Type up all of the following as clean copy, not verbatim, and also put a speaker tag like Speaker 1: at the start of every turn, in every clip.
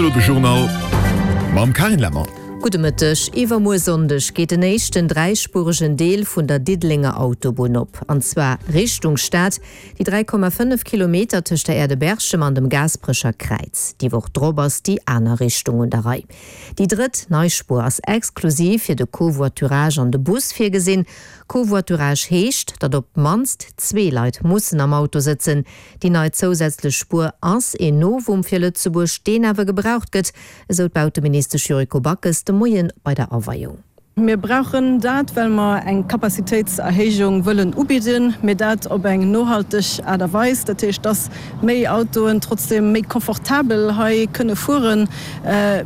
Speaker 1: An elo de Journal mam Carine Lemmer.
Speaker 2: Gudde Mëtteg. Iwwermuer Sonndeg geet den éischten dräispuregen Deel vun der Diddelenger Autobunn op, an zwar Richtung Stad, déi 3,5 Kilometer tëscht der Aire de Berchem an dem Gaasperecher Kräiz. Déi Woch drop ass déi aner Richtung un der Rei. Déi drëtt nei Spuer ass exklusiv fir de Covoiturage an de Bus virgesinn. Covoiturage heescht, datt op d'mannst zwee Leit mussen am Auto sëtzen. Déi nei zousätzlech Spuer ass een Novum fir Lëtzebuerg, deen awer gebraucht gëtt, esou d'Bauteministesch Yuriko Backes de Moie bei der Aweiung.
Speaker 3: Mir brauchen dat, well mer eng Capacitéitserhéijung wëllen ubidden, mee dat op eng nohalteg Aart a Weis. Dat heescht, dass méi Autoen trotzdem méi confortabel hei kënne fueren,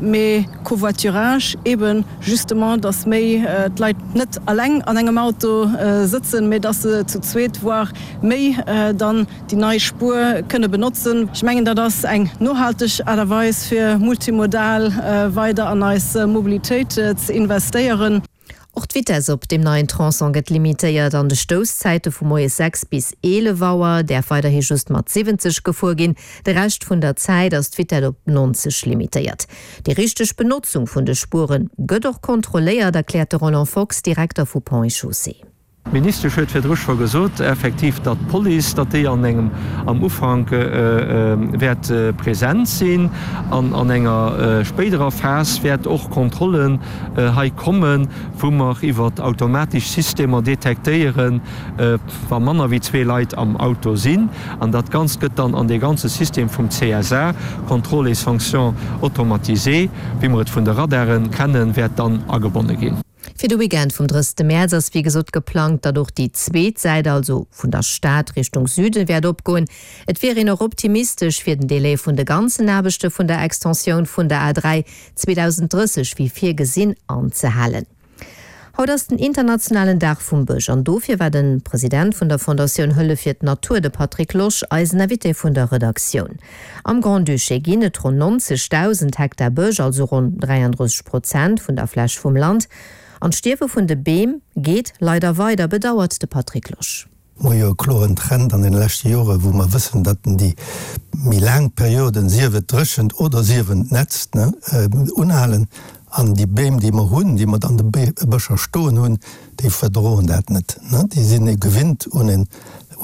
Speaker 3: mee Covoiturage eeben justement, dass méi d'Leit net eleng an engem Auto sëtzen, mee dass se zu zweet, voire méi dann déi nei Spuer kënne benotzen. Ech mengen, dat ass eng nohalteg Aart a Weis, fir multimodal weider an eis Mobilitéit ze investéieren.
Speaker 2: Och d'Vitess op deem neien Tronçon gëtt limitéiert. An de Stousszäite vu moies 6 bis 11 Auer däerf weiderhi just mat 70 gefuer ginn. De Rescht vun der Zäit ass d'Vitett op 90 limitéiert. Déi richteg Benotzung vun de Spuere gëtt och kontrolléiert, erkläert de Roland Fox, Direkter vu Ponts et Chaussées.
Speaker 4: D'Ministesch huet virdru scho gesot, effektiv, datt d'Police, datt déi an engem, am Ufank wäert present sinn an an enger spéiderer Phas wäert och Kontrollen hei kommen, wou mer iwwer automatesch Systemer detektéieren, wa manner wéi zwee Leit am Auto sinn. An dat Ganzt gëtt dann an dee ganze System vum CSA, Contrôle et sanctions automatisées, wéi mer et vun de Radare kennen, wäert dann agebonne ginn.
Speaker 2: Fir de Weekend vum 30 Mäerz ass wéi gesot geplangt, datt och déi zweet Säit, also vun der Stad Richtung Süden, wäert opgoen. Et wier een och optimistesch, fir den Delai vun de ganzen Aarbechte vun der Extensioun vun der A3 2030 wéi virgesinn anzehalen. Haut ass den internationalen Dag vum Bësch an dofir war de President vun der Fondatioun Hëllef fir d'Natur, de Patrick Losch, eisen Invité vun der Redaktioun. Am Grand-Duché ginn et ronn 90.000 Hektar Bësch, also ronn 33 Prozent vun der Fläch vum Land. An d'Stierwe vun de Beem geet leider weider, bedauert de Patrick Losch.
Speaker 5: Mer hu jo e kloren Trend an den leschte Jore wou mer wëssen, datt déi méi laang Perioden, sief et d'Dréchent oder sief en d'Nätzt, unhalen. An déi Beem, déi mer hunn, déi mer an de Bëscher stoen hunn, déi verdroen dat net. Déi sinn gewinnt un en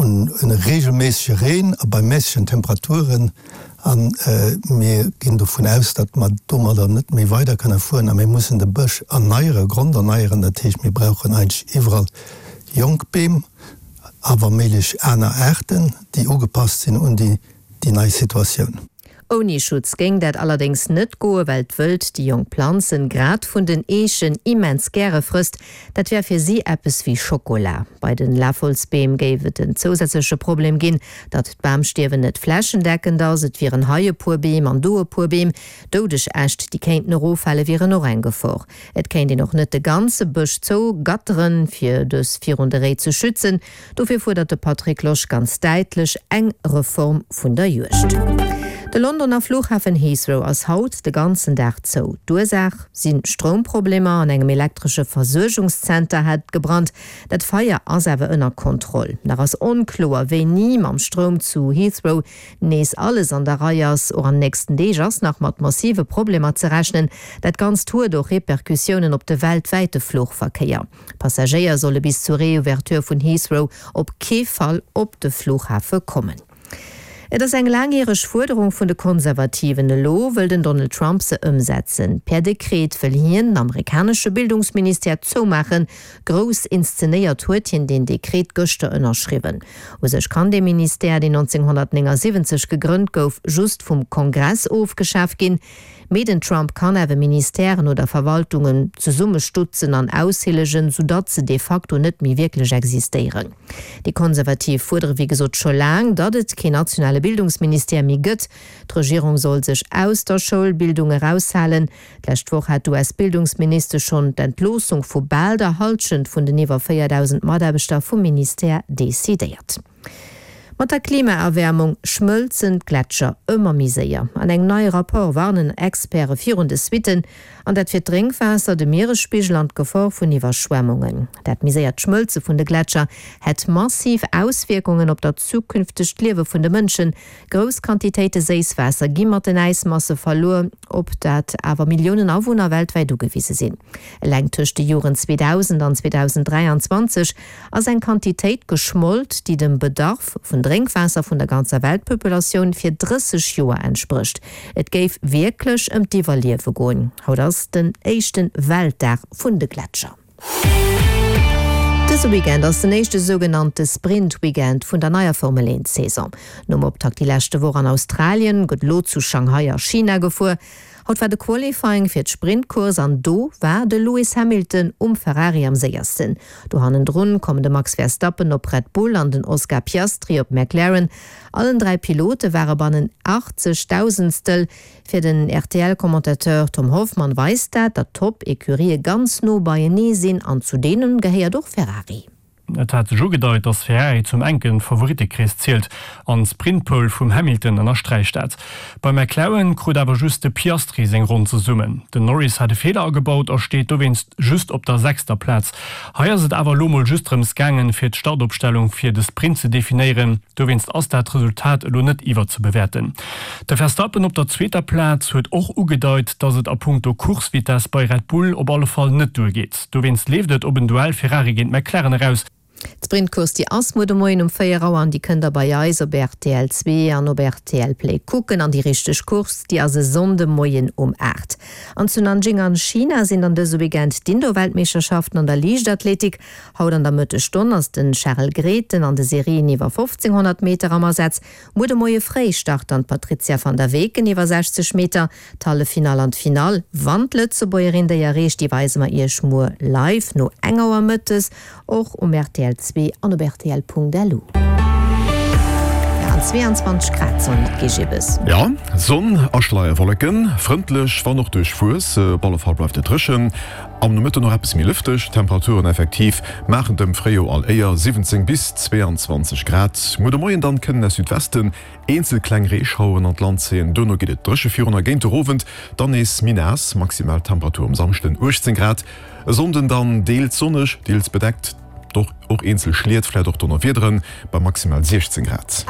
Speaker 5: un e reegelméissege Reen a bei méissegen Temperaturen. A mir ginn dovun aus, datt mer domadder net méi weider kënne fueren a mir mussen de Bësch erneieren, gronderneieren. Dat heescht, mir brauchen eigentlech iwwerall jonk Beem a wa méiglech aner Aarten, déi ugepasst sinn un déi nei Situatioun.
Speaker 2: Ouni Schutz géing dat allerdéngs net goen, well d'Wëld déi jonk Planzen, grad vun den Eechen, immens gäre frësst. Dat wär fir si eppes wéi Schokola. Bei den Lafholzbeem géif et en zousätzleche Problem ginn, datt d'Bamstierwen net flächendeckend ass. Et wieren hei e puer Beem an do e puer Beem. Doudeg Äscht, déi kéinten eroffale wieren och eng Gefor. Et kéint een och net de ganze Bësch zou gatteren, fir dës virun de Réi ze schützen. Dofir fuerdert de Patrick Losch ganz däitlech eng Reform vun der Juegd. De Londoner Flughafen Heathrow ass haut de ganzen Dag zou. D'Ursaach si Stroumproblemer. An engem elektresche Versuergungszenter hat et gebrannt. Dat Feier ass awer ënner Kontroll. Nach ass onkloer, wéini mam Stroum zu Heathrow nees alles an der Rei ass. Och an nächsten Deeg ass nach mat massive Problemer ze rechnen. Dat Ganzt huet och Repercussiounen op de weltwäite Fluchverkéier. Passagéier solle bis zur Reouverture vun Heathrow op kee Fall op de Flughafe kommen. Et ass eng laangjäreg Fuerderung vun de Konservativen. Elo wëll den Donald Trump se ëmsetzen. Per Dekret wëll hien den amerikanesche Bildungsministère zoumaachen. Grouss inszenéiert huet hien deen Dekret gëschter ënnerschriwwen. U sech kann dee Ministère, deen 1979 gegrënnt gouf, just vum Kongress ofgeschaf ginn. Mee den Trump kann awer Ministèren oder Verwaltungen zesummestutzen an aushillegen, soudatt se de facto net méi wierklech existéieren. Déi Konservativ fuerdere wéi gesot scho laang, datt et keen nationale Bildungsministère méi gëtt. D'Regierung soll sech aus der Schoulbildung eraushalen. D'lescht Woch hat d'US-Bildungsministesch schonn d'Entloossung vu bal der Hallschent vun den iwwer 4.000 Mataarbechter vum Ministère decidéiert. Mat der Klimaerwäermung schmëlzen d'Gletscher ëmmer méi séier. An engem neie Rapport warnen Experte virun de Suitten, an dat fir d'Drénkwaasser, de Mieresspigel an d'Gefor vun Iwwerschwemmungen. Dat méi séiert Schmëlze vun de Gletscher hätt massiv Auswierkungen op dat zukünftegt Liewe vun de Mënschen. Grouss Quantitéite Séisswaasser gi mat den Äismasse verluer, op dat awer Milliounen Awunner weltwäit ugewise sinn. Eleng tëscht de Joren 2000 an 2023 ass eng Quantitéit geschmolt, déi dem Bedarf vun Drénkwaasser vun der ganzer Weltpopulatioun fir 30 Joer entsprécht. Et géif wierklech ëm d'Iwwerliewe goen. Haut ass den éischte Weltdag vun de Gletscher. Dëse Weekend ass den éischte sougenannte Sprint-Weekend vun der neier Formel 1 Saison. Nom Optakt déi leschte Woch an Australien, gëtt elo zu Shanghai a China gefuer. Haut war de Qualifying fir d'Sprintcourse an do war de Lewis Hamilton um Ferrari am séiersten. Do hannendrun kommen de Max Verstappen op Red Bull an den Oscar Piastri op McLaren. Allen 3 Pilote ware bannen 80 Dausendstel. Fir den RTL-Commentateur Tom Hoffmann weist dat, datt d'Top-Ecurië ganz no beienee sinn an zu deene gehéiert och Ferrari.
Speaker 6: Et hat sech ugedeit, datt Ferrari zum enke Favorittekrees zielt an d'Sprintpole vum Hamilton ënnersträicht dat. Bei McLaren krut awer just de Piastri seng Ronn zesummen. Den Norris hat e Feeler agebaut a steet dowéinst just op der sechster Plaz. Hei ass et awer elo mol just drëms gaangen, fir d'Startopstellung fir de Sprint ze definéieren. Dowéinst ass dat Resultat elo net iwwerzebewäerten. De Verstappen op der zweeter Plaz huet och ugedeit, datt et a punkto Coursevitess bei Red Bull op alle Fall net duergeet. Dowéinst leeft et op en Duell Ferrari géint McLaren eraus.
Speaker 2: D'Sprintcourse déi ass muer de Moien um 4 Auer an déi kënnt der bei eis op rtl 2 an op rtl Play kucken. An déi richteg Course déi ass e Sonnde Moien um 8. An zu Nanjing an China sinn dann dëse Weekend d'Indoor-Weltmeeschterschaften an der Liichtathletik. Haut an der Mëttesstonn ass den Charel Grethen an de Serien iwwer 1500 Meter am Asaz. Muer de Moie fréi start dann d'Patrizia van der Weken iwwer 60 Meter. D'Halleffinall an d'Finall, wann d'Lëtzebuergerin déi erreecht, déi weise mer iech muer live no eng Auer mëttes, och um rtl 2 an op rtl.lu. Ja, an 22 Grad sollen et gi, Gibbes.
Speaker 1: Jo, Sonn a Schleierwolleken, frëndlech, wann och duerchwuess. Op alle Fall bleift et dréchen, am Nomëtten och eppes méi lëfteg. D'Temperaturen effektiv maachen dem Fréijoer all Éier, 17 bis 22 Grad. Muer de Moien dann kënnen aus Südwesten Eenzel kleng Reeschaueren an d'Land zéien, duerno geet et dréche virun a géint de Owend dann nees méi naass. Maximal Temperatur um Samschden 18 Grad, e Sonnden dann deels sonneg, deels bedeckt, och eenzel Schliet, vläit och Donnerwiederen bei maximal 16 Grad.